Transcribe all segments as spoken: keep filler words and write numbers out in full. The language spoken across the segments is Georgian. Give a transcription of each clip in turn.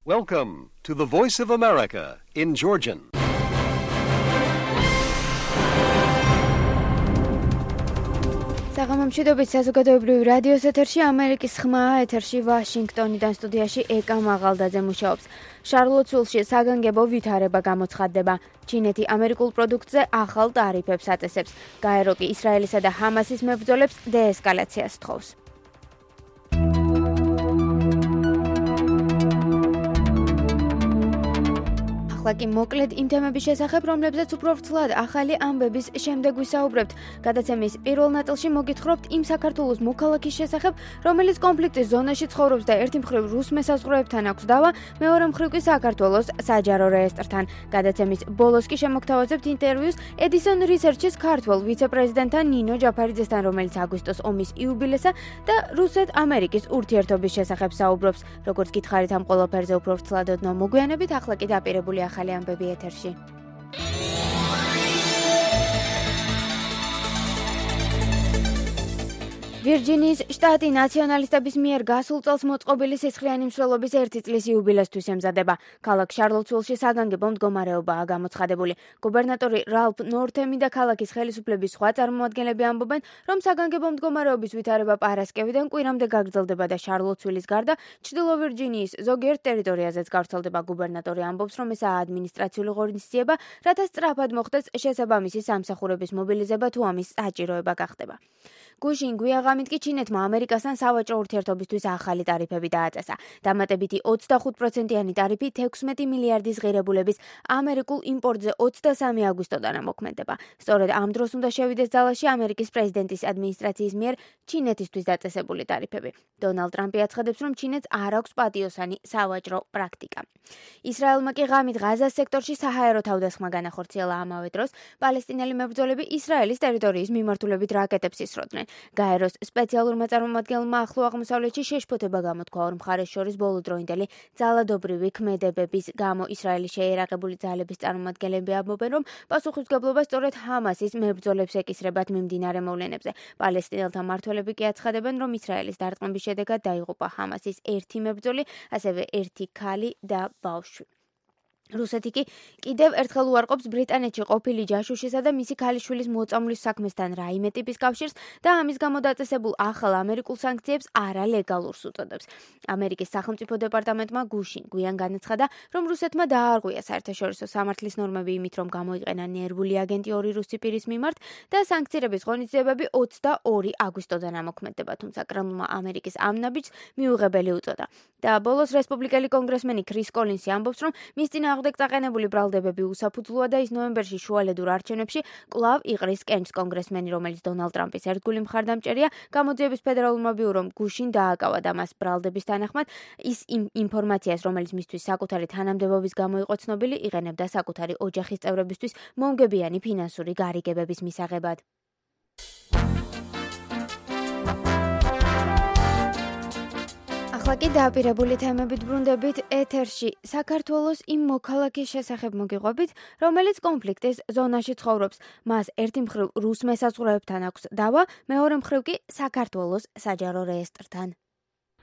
Welcome to the Voice of America in Georgian. საღამომშვიდობით საზოგადოებრივი რადიოს ეთერში ამერიკის ხმაა ეთერში ვაშინგტონიდან სტუდიაში ეკა მაღალდაძე მუშაობს. შარლოტსვილში საგანგებო ვითარება გამოცხადდება. ჩინეთი ამერიკულ პროდუქტზე ახალ ტარიფებს აწესებს. გაერო კი ისრაელისა და ჰამასის მებრძოლებს დეესკალაციას თხოვს. ახლა კი მოკლედ იმ თემების შესახებ, რომლებზეც უფრო ვრცლად ახალი ამბების შემდეგ ვისაუბრებთ. გადაცემის პირველ ნაწილში მოგითხრობთ იმ საქართველოს მოქალაქის შესახებ, რომელიც კონფლიქტის ზონაში ცხოვრობს და ერთი მხრივ რუს მესაზღვრეებთან აქვს დავა, მეორე მხრივ კი საქართველოს საჯარო რეესტრთან. გადაცემის ბოლოს კი შემოგთავაზებთ ინტერვიუს Edison Research-ის ქართველ ვიცე-პრეზიდენტთან ნინო ჯაფარიძესთან, რომელიც აგვისტოს ომის იუბილესა და რუსეთ-ამერიკის ურთიერთობის შესახებ საუბრობს. როგორც გითხარით ამ ყველაფერზე უფრო ვრცლად ოდნავ მოგვიანებით, ახლა კი დაპირებული ახალი ამბები ეთერში. ვირჯინიის შტატი ნაციონალისტების მიერ გასულ წელს მოწყობილი სისხლიანი მსვლელობის ერთი წლის იუბილესთვის ემზადება. ქალაქ შარლოტსვილში საგანგებო მდგომარეობაა გამოცხადებული. გუბერნატორი რალფ ნორთემი და ქალაქის ხელისუფლების სხვა წარმომადგენლები ამბობენ, რომ საგანგებო მდგომარეობის ვითარება პარასკევიდან კვირამდე გაგრძელდება და შარლოტსვილის გარდა ჩრდილო ვირჯინიის ზოგიერთ ტერიტორიაზეც გავრცელდება. გუბერნატორი ამბობს, რომ ესაა ადმინისტრაციული ღონისძიება, რათა სწრაფად მოხდეს შესაბამისი სამსახურების მობილიზება თუ ამის საჭიროება გახდება. გუშინ გვიაღამით კი ჩინეთმა ამერიკასთან სავაჭრო ურთიერთობისთვის ახალი ტარიფები დააწესა. დამატებითი ოცდახუთ პროცენტიანი ტარიფი თექვსმეტი მილიარდის ღირებულების ამერიკულ იმპორტზე ოცდასამი აგვისტოდან ამოქმედება. სწორედ ამ დროს უნდა შევიდეს ძალაში ამერიკის პრეზიდენტის ადმინისტრაციის მიერ ჩინეთისთვის დაწესებული ტარიფები. დონალდ ტრამპი აცხადებს, რომ ჩინეთს არ აქვს პატიოსანი სავაჭრო პრაქტიკა. ისრაელმა კი ღამით ღაზას სექტორში საჰაერო თავდასხმა განახორციელა. ამავე დროს პალესტინელი მებრძოლები ისრაელის ტერიტორიის მიმართულებით რაკეტებს ისროდნენ. გაეროს სპეციალურმა წარმომადგენელმა ახლო აღმოსავლეთში შეშფოთება გამოთქვა ორ მხარეს შორის ბოლოდროინდელი ძალადობრივი ქმედებების გამო. ისრაელის შეიარაღებული ძალების წარმომადგენლები ამბობენ, რომ პასუხისმგებლობა სწორედ ჰამასის მებრძოლებს ეკისრებათ მიმდინარე მოვლენებზე. პალესტინელთა მმართველები კი აცხადებენ, რომ ისრაელის დარტყმების შედეგად დაიღუპა ჰამასის ერთი მებრძოლი, ასევე ერთი ქალი და ბავშვი. რუსეთი კი კიდევ ერთხელ უარყოფს ბრიტანეთში ყოფილი ჯაშუშისა და მისი ქალიშვილის მოწამვლის საქმესთან რაიმე ტიპის კავშირს და ამის გამო დაწესებულ ახალ ამერიკულ სანქციებს არალეგალურს უწოდებს. ამერიკის სახელმწიფო დეპარტამენტმა გუშინ გვიან განაცხადა, რომ რუსეთმა დაარღვია საერთაშორისო სამართლის ნორმები იმით, რომ გამოიყენა ნერვული აგენტი ორი რუსი პირის მიმართ და სანქციების ღონისძიებები ოცდაორი აგვისტოდან ამოქმედება, თუმცა კრემლმა ამერიკის ამ ნაბიჯს მიუღებელი უწოდა. და ბოლოს რესპუბლიკელი კონგრესმენი ქრის კოლინსი ამბობს, რომ მის წინააღმდეგ წაყენებული ბრალდებები უსაფუძვლოა და ის ნოემბერში შუალედურ არჩევნებში კვლავ იყრის კენჭს. კონგრესმენი, რომელიც დონალდ ტრამპის ერთგული მხარდამჭერია, გამოძიების ფედერალურმა ბიურომ გუშინ დააკავა და მას ბრალდების თანახმად ის იმ ინფორმაციას, რომელიც მისთვის საკუთარი თანამდებობის გამო იყო ცნობილი, იყენებდა საკუთარი ოჯახის წევრებისთვის მომგებიანი ფინანსური გარიგებების მისაღებად. ახლა კი დაპირებული თემებით ბრუნდებით ეთერში. საქართველოს იმ მოქალაქის შესახებ მოგიყვებით, რომელიც კონფლიქტის ზონაში ცხოვრობს. მას ერთი მხრივ რუს მესაზღვრეებთან აქვს დავა, მეორე მხრივ კი საქართველოს საჯარო რეესტრთან.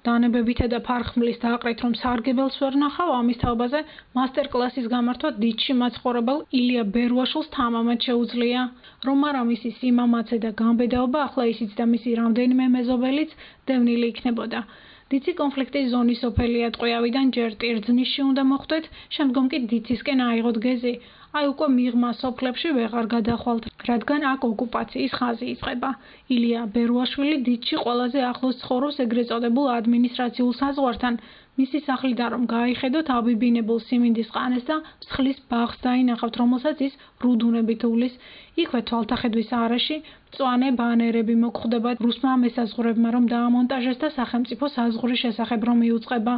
დანებებითა და ფარხმლის დააყრით, რომ სარგებელს ვერ ნახავ, ამის თაობაზე მასტერკლასის გამართვა დიდში მაცხოვრებელ ილია ბერუაშვილს თამამად შეუძლია. რომ არა მისი სიმამაცე და გამბედაობა, ახლა ისიც და მისი რამდენიმე მეზობელიც დევნილი იქნებოდა. დიცი კონფლიქტის ზონის სოფელი ატყვიავიდან ჯერ ტირძნიშში უნდა მოხვდეთ, შემდგომ კი დიცისკენ აიღოთ გეზი. აი უკვე მიღმა სოფლებში ვეღარ გადახვალთ, რადგან აქ ოკუპაციის ხაზი იწყება. ილია ბერუაშვილი დიცში ყველაზე ახლოს ცხოვრობს ეგრეთ წოდებულ ადმინისტრაციულ საზღვართან. მისი სახლიდან რომ გაიხედოთ აბიბინებულ სიმინდის ყანეს და მსხლის ბაღს დაინახავთ, რომელსაც ის რუდუნებით უვლის. იქვე თვალთახედვის არეში მწვანე ბანერები მოგხვდება რუსმა მესაზღვრეებმა, რომ დაამონტაჟეს და სახელმწიფო საზღვრის შესახებ რომ იუწყება.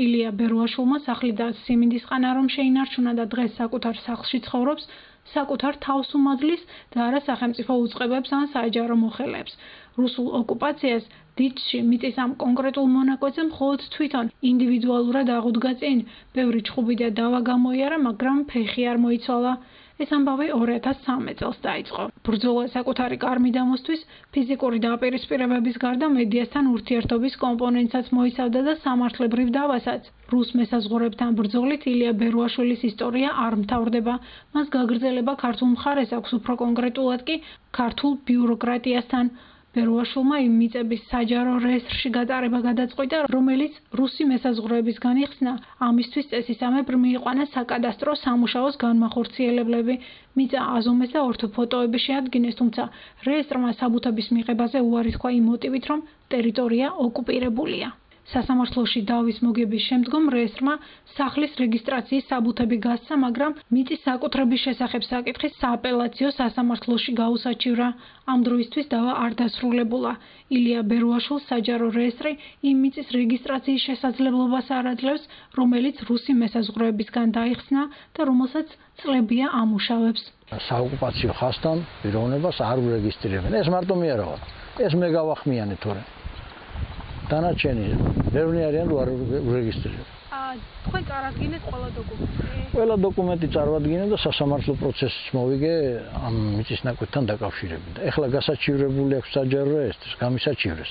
ილია ბერუაშვილმა სახლი და სიმინდის ყანა რომ შეინარჩუნა და დღეს საკუთარ სახლში ცხოვრობს, საკუთარ თავს უმადლის და არა სახელმწიფო უწყებებს ან საჯარო მოხელეებს. რუსულ ოკუპაციას დიცში მიწის ამ კონკრეტულ მონაკვეთზე მხოლოდ თვითონ ინდივიდუალურად აღუდგა წინ. ბევრი ჩხუბი და დავა გამოიარა, მაგრამ ფეხი არ მოიცვალა. ეს ამბავი ორი ათას სამი წელს დაიწყო. ბრძოლა საკუთარი კარმი დამოსთვის ფიზიკური დაპირისპირებების გარდა მედიასთან ურთიერთობის კომპონენტსაც მოიცავდა და სამართლებრივ დავასაც. რუს მესაზღვრეებთან ბრძოლით ილია ბერუაშვილის ისტორია არ მთავრდება. მას გაგრძელება ქართულ მხარეს აქვს, უფრო კონკრეტულად კი ქართულ ბიუროკრატიასთან. ბერუაშვილმა იმ მიწების საჯარო რეესტრში გატარება გადაწყვიტა, რომელიც რუსი მესაზღვრეების განიხსნა, ამისთვის წესისამებრ მიიყვანა საკადასტრო სამუშაოს განმახორციელებლები. მიწა აზომეს და ორთოფოტოები შეადგინეს, თუმცა რეესტრმა საბუთების მიღებაზე უარი თქვა იმ მოტივით, რომ ტერიტორია ოკუპირებულია. სასამართლოში დავის მოგების შემდგომ რეესტრმა სახლის რეგისტრაციის საბუთები გასცა, მაგრამ მიწის საკუთრების შესახებ საკითხი სააპელაციო სასამართლოში გაუსაჩივრა. ამ დროისთვის დავა არ დასრულებულა. ილია ბერუაშვილს საჯარო რეესტრი იმ მიწის რეგისტრაციის შესაძლებლობას არ აძლევს, რომელიც რუსი მესაზღვრეებისგან დაიხსნა და რომელსაც წლებია ამუშავებს. საოკუპაციო ხასთან პიროვნებას არ ურეგისტრირებენ. ეს მარტო მე არა ვარ. ეს მე გავახმიანე თორემ. დანარჩენი ბევრი არიან რო არ ურეგისტრირებენ. აა თქვენ წარადგინეთ ყველა დოკუმენტი? ყველა დოკუმენტი წარვადგინე და სასამართლო პროცესს მოვიგე ამ მიწის ნაკვეთთან დაკავშირებით. ეხლა გასაჩივრებული აქვს საჯარო რეესტრს, გამისაჩივრეს.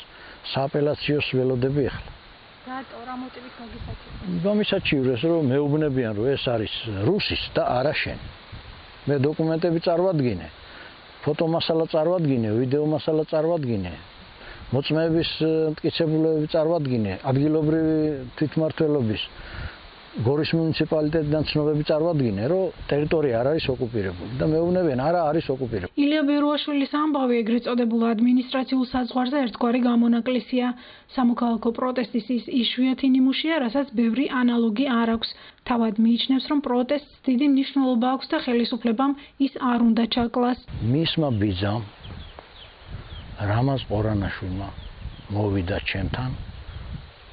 სააპელაციოს ველოდები ეხლა. რატო რა მოტივით მოგისაჩივრეს? გამისაჩივრეს, რომ მეუბნებიან, რომ ეს არის რუსის და არა შენი. მე დოკუმენტები წარვადგინე. ფოტომასალა წარვადგინე, ვიდეო მასალა წარვადგინე. მოწმეების მტკიცებულებები წარვადგინე, ადგილობრივი თვითმმართველობის გორის მუნიციპალიტეტიდან ცნობები წარვადგინე, რომ ტერიტორია არ არის ოკუპირებული და მეუბნებიან, არა არის ოკუპირებული. ილია ბერუაშვილის ამბავი ეგრეთ წოდებულ ადმინისტრაციულ საზღვარზე ერთგვარი გამონაკლისია. სამოქალაქო პროტესტის ის იშვიათი ნიმუშია, რასაც ბევრი ანალოგი არ აქვს. თავად მიიჩნევს, რომ პროტესტს დიდი მნიშვნელობა აქვს და ხელისუფლებამ ის არ უნდა ჩაკლას. მისმა ბიძამ რამაზ ყორანაშვილმა მოვიდა ჩემთან,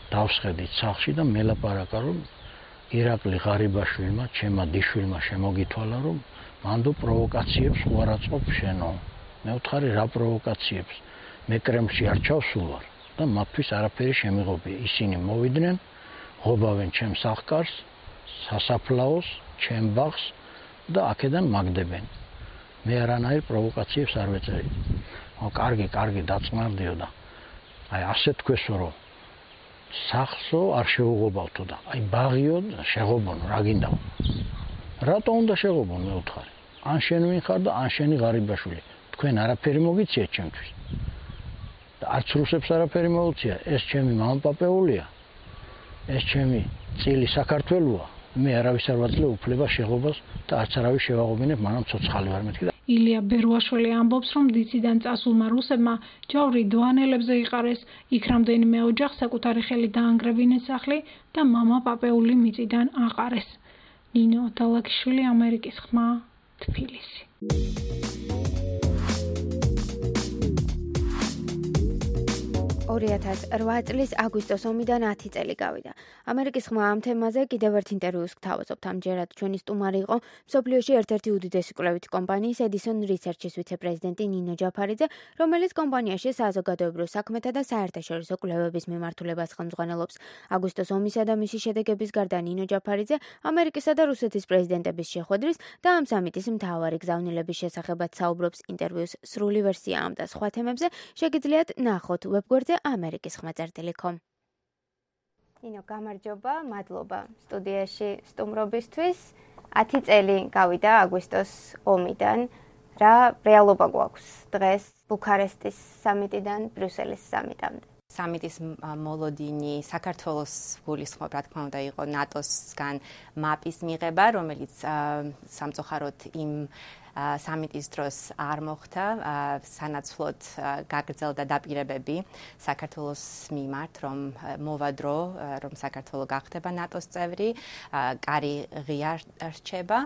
დავსხედით სახლში და მელაპარაკა, რომ ირაკლი ღარიბაშვილმა, ჩემმა დიშვილმა შემოგითვალა, რომ მანდო პროვოკაციებს უარაწყობ შენო. მე ვთხარი, რა პროვოკაციებს? მე კრემლში არ ჩავსულვარ და მათთვის არაფერი შემიღობია. ისინი მოვიდნენ, ღობავენ ჩემ სახლკარს, სასაფლაოს, ჩემ ბაღს და აქედან მაგდებენ. მე არანაირ პროვოკაციებს არ ვეწევი. კარგი, კარგი დაწყნარდიო და აი ასე თქვესო, რომ სახლსო არ შეუღობავთო და აი ბაღიო შეღობონო, რა გინდა? რატო უნდა შეღობონ, მე ვთხარი? ან შენ ვინ ხარ და ან შენი ღარიბაშვილი. თქვენ არაფერი მოგიციეთ ჩემთვის. და არც რუსებს არაფერი მოუწია, ეს ჩემი მამაპაპეულია. ეს ჩემი წილი საქართველოა. მე არავის არ ვაძლევ უფლება შეღობას და არც არავის შევაღობინებ, მანამ ცოცხალი ვარ მეთქი. ილია ბერუაშვილი ამბობს, რომ დიციდან წასულმა რუსებმა ჯავრი დვანელებზე იყარეს, იქ რამდენიმე ოჯახს საკუთარი ხელით დაანგრევინეს სახლი და მამა პაპეული მიწიდან აყარეს. ნინო დალაკიშვილი, ამერიკის ხმა, თბილისი. ორი ათას რვა წლის აგვისტოს ომიდან ათი წელი გავიდა. ამერიკის ხმა ამ თემაზე კიდევ ერთ ინტერვიუს გთავაზობთ. ამჯერად ჩვენი სტუმარი იყო მსოფლიოში ერთ-ერთი უდიდესი კვლევითი კომპანიის Edison Research-ის ვიცე-პრეზიდენტი ნინო ჯაფარიძე, რომელიც კომპანიაში საზოგადოებრივ საქმეთა და საერთაშორისო კვლევების მიმართულებას ხელმძღვანელობს. აგვისტოს ომისა და მისი შედეგების გარდა ნინო ჯაფარიძე ამერიკისა და რუსეთის პრეზიდენტების შეხვედრის და ამ სამიტის მთავარი გზავნილების შესახებაც საუბრობს. ინტერვიუს სრული ვერსია ამ და სხვა თემებზე შეგიძლიათ ნახოთ ვებგვერდზე ამერიკის ხმა წერტილი კომ. ნინო, გამარჯობა, მადლობა სტუდიაში სტუმრობისთვის. ათი წელი გავიდა აგვისტოს ომიდან. რა რეალობა გვაქვს დღეს ბუქარესტის სამიტიდან ბრიუსელის სამიტამდე? სამიტის მოლოდინი საქართველოს გულისხმობ, რა თქმა უნდა, იყო ნატოსგან მაპის მიღება, რომელიც სამწუხაროდ იმ სამიტის დროს არ მოხდა, სანაცვლოდ გაგრძელდა დაპირებები საქართველოს მიმართ, რომ მოვა დრო, რომ საქართველო გახდება ნატოს წევრი, კარი ღია რჩება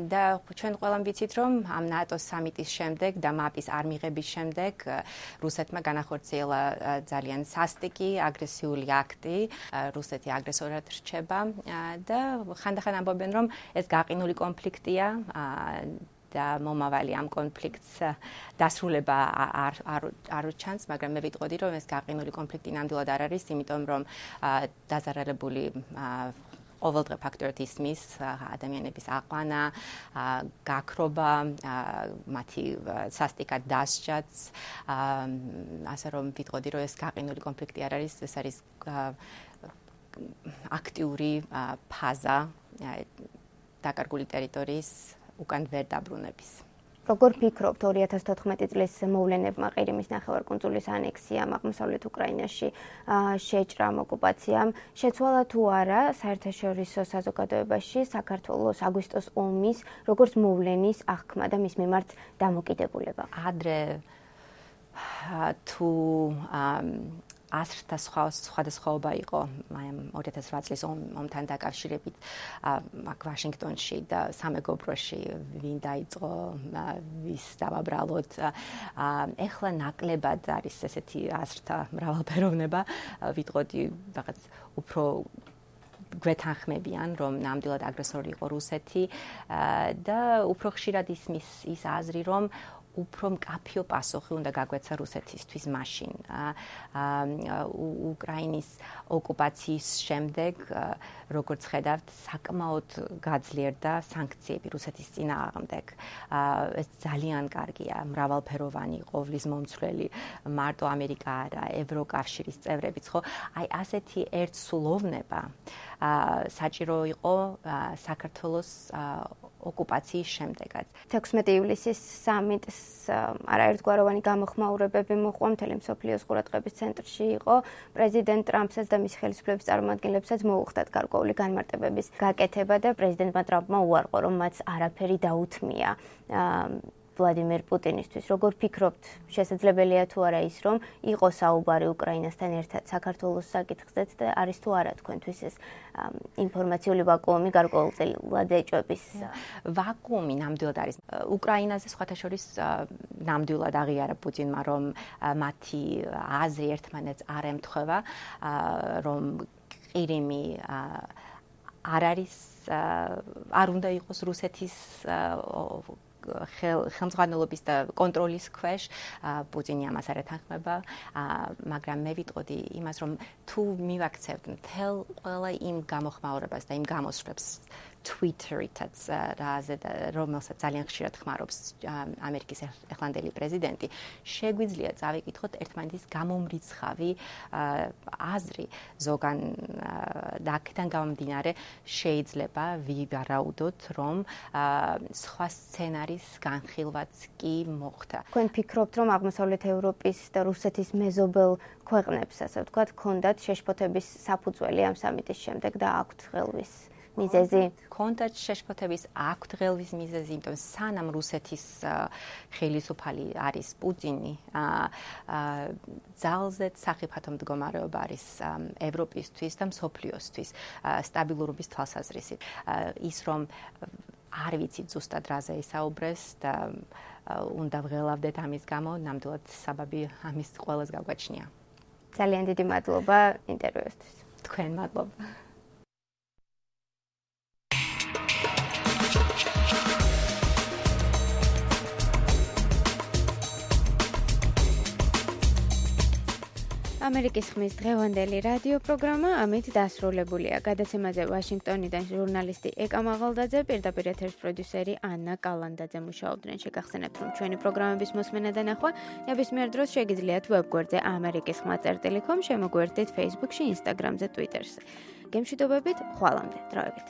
და ჩვენ ყველამ ვიცით, რომ ამ ნატოს სამიტის შემდეგ და მაპის არ მიღების შემდეგ რუსეთმა განახორციელა ძალიან სასტიკი, აგრესიული აქტი, რუსეთი აგრესორად რჩება და ხანდახან ამბობენ, რომ ეს გაყინული კონფლიქტია და მომავალი ამ კონფლიქტს დასრულება არ არ არ ჩანს, მაგრამ მე ვიტყოდი, რომ ეს გაყინული კონფლიქტი ნამდვილად არ არის, იმიტომ რომ დაზარალებული ყოველდღე ფაქტორად ისმის ადამიანების აყვანა, გაქრობა, მათი სასტიკად დასჯაც, ასე რომ ვიტყოდი, რომ ეს გაყინული კონფლიქტი არ არის, ეს არის აქტიური ფაზა დაკარგული ტერიტორიის უკან ვერ დაბრუნების. როგორ ფიქრობთ ორი ათას თოთხმეტი წლის მოვლენებმა ყირიმის ნახევარკუნძულის ანექსიამ აღმოსავლეთ უკრაინაში შეჭრამ ოკუპაციამ შეცვალა თუ არა საერთაშორისო საზოგადოებაში საქართველოს აგვისტოს ომის როგორც მოვლენის აღქმა და მის მიმართ დამოკიდებულება? ადრე თუ ასრთა სხვადასხვაობა იყო ორი ათას რვა წლის ომთან დაკავშირებით აქ ვაშინგტონში და სამეგობროში ვინ დაიწყო ვის დავაბრალოთ ეხლა ნაკლებად არის ესეთი ასრთა მრავალფეროვნება ვიტყოდი რაღაც უფრო გვეთანხმებიან რომ ნამდვილად აგრესორი იყო რუსეთი და უფრო ხშირად ისმის ის აზრი რომ უფრო მკაფიო პასუხი უნდა გაგვეცა რუსეთისთვის მაშინ. უკრაინის ოკუპაციის შემდეგ, როგორც ხედავთ, საკმაოდ გაძლიერდა სანქციები რუსეთის წინააღმდეგ. ეს ძალიან კარგია, მრავალფეროვანი, ყოვლის მომცვლელი, მარტო ამერიკა არა, ევროკავშირის წევრებიც, ხო? აი ასეთი ერთსულოვნება საჭირო იყო საქართველოს ოკუპაციის შემდეგაც. თექვსმეტი ივლისის სამიტს არაერთგვაროვანი გამოხმაურებები მოყვა მთელი მსოფლიოს ყურადღების ცენტრში იყო. პრეზიდენტ ტრამპსაც და მისი ხელისუფლების წარმომადგენლებსაც მოუხდათ გარკვეული განმარტებების გაკეთება და პრეზიდენტმა ტრამპმა უარყო, რომ მათ არაფერი დაუთმია ვლადიმერ პუტინისთვის. როგორ ფიქრობთ, შესაძლებელია თუ არა ის, რომ იყოს საუბარი უკრაინასთან ერთად საქართველოს საკითხზეც და არის თუ არა თქვენთვის ეს ინფორმაციული ვაკუუმი გარკვეულწილად ეჭვების? ვაკუუმი ნამდვილად არის. უკრაინაზე სხვათა შორის ნამდვილად აღიარა პუტინმა, რომ მათი აზრი ერთმანეთს არ ემთხვევა, რომ ყირიმი არ არის არ უნდა იყოს რუსეთის ხელმძღვანელობის და კონტროლის ქვეშ პუტინი ამას არ ეთანხმება, მაგრამ მე ვიტყოდი იმას, რომ თუ მივაქცევთ მთელ ყველა იმ გამოხმაურებას და იმ გამოსვლებს Twitter-ითაც რომელსაც ძალიან ხშირად ხმარობს ამერიკის ახლანდელი პრეზიდენტი, შეგვიძლია წავიკითხოთ ერთმანეთის გამომრიცხავი აზრი ზოგან და აქედან გამომდინარე შეიძლება ვივარაუდოთ, რომ სხვა სცენარის განხილვაც კი მოხდა. თქვენ ფიქრობთ, რომ აღმოსავლეთ ევროპის და რუსეთის მეზობელ ქვეყნებს, ასე ვთქვათ, ჰქონდათ შეშფოთების საფუძველი ამ სამიტის შემდეგ და აქვთ ხელვის მიზეზი? კონდათ შეშფოთების აქვთ ხელვის მიზეზი, იმიტომ სანამ რუსეთის ხელისუფალი არის პუტინი, ძალზედ სახიფათო მდგომარეობა არის ევროპისთვის და მსოფლიოსთვის სტაბილურობის თვალსაზრისით. ის რომ არ ვიცით ზუსტად რაზე ისაუბრეს და უნდა ვღელავდეთ ამის გამო, ნამდვილად საბაბი ამის ყველას გაგვაჩნია. ძალიან დიდი მადლობა ინტერვიუსთვის. თქვენ მადლობა. ამერიკის ხმის დღევანდელი რადიო პროგრამა ამით დასრულებულია. გადაცემაზე ვაშინგტონიდან ჟურნალისტი ეკა მაღალდაძე, პირდაპირ ეთერის პროდიუსერი ანა კალანდაძე მუშაობდნენ. შეგახსენებთ, რომ ჩვენი პროგრამების მოსმენა და ნახვა ნებისმიერ დროს შეგიძლიათ ვებგვერდზე ამერიკის ხმა წერტილი კომ, შემოგვერთდით Facebook-ში, Instagram-ზე, Twitter-ზე. გემშვიდობებით, ხვალამდე, დროებით.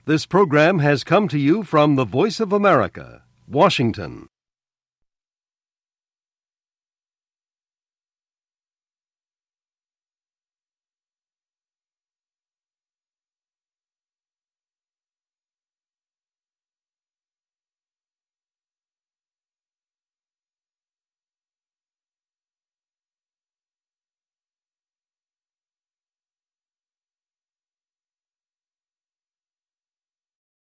This program has come to you from the Voice of America, Washington.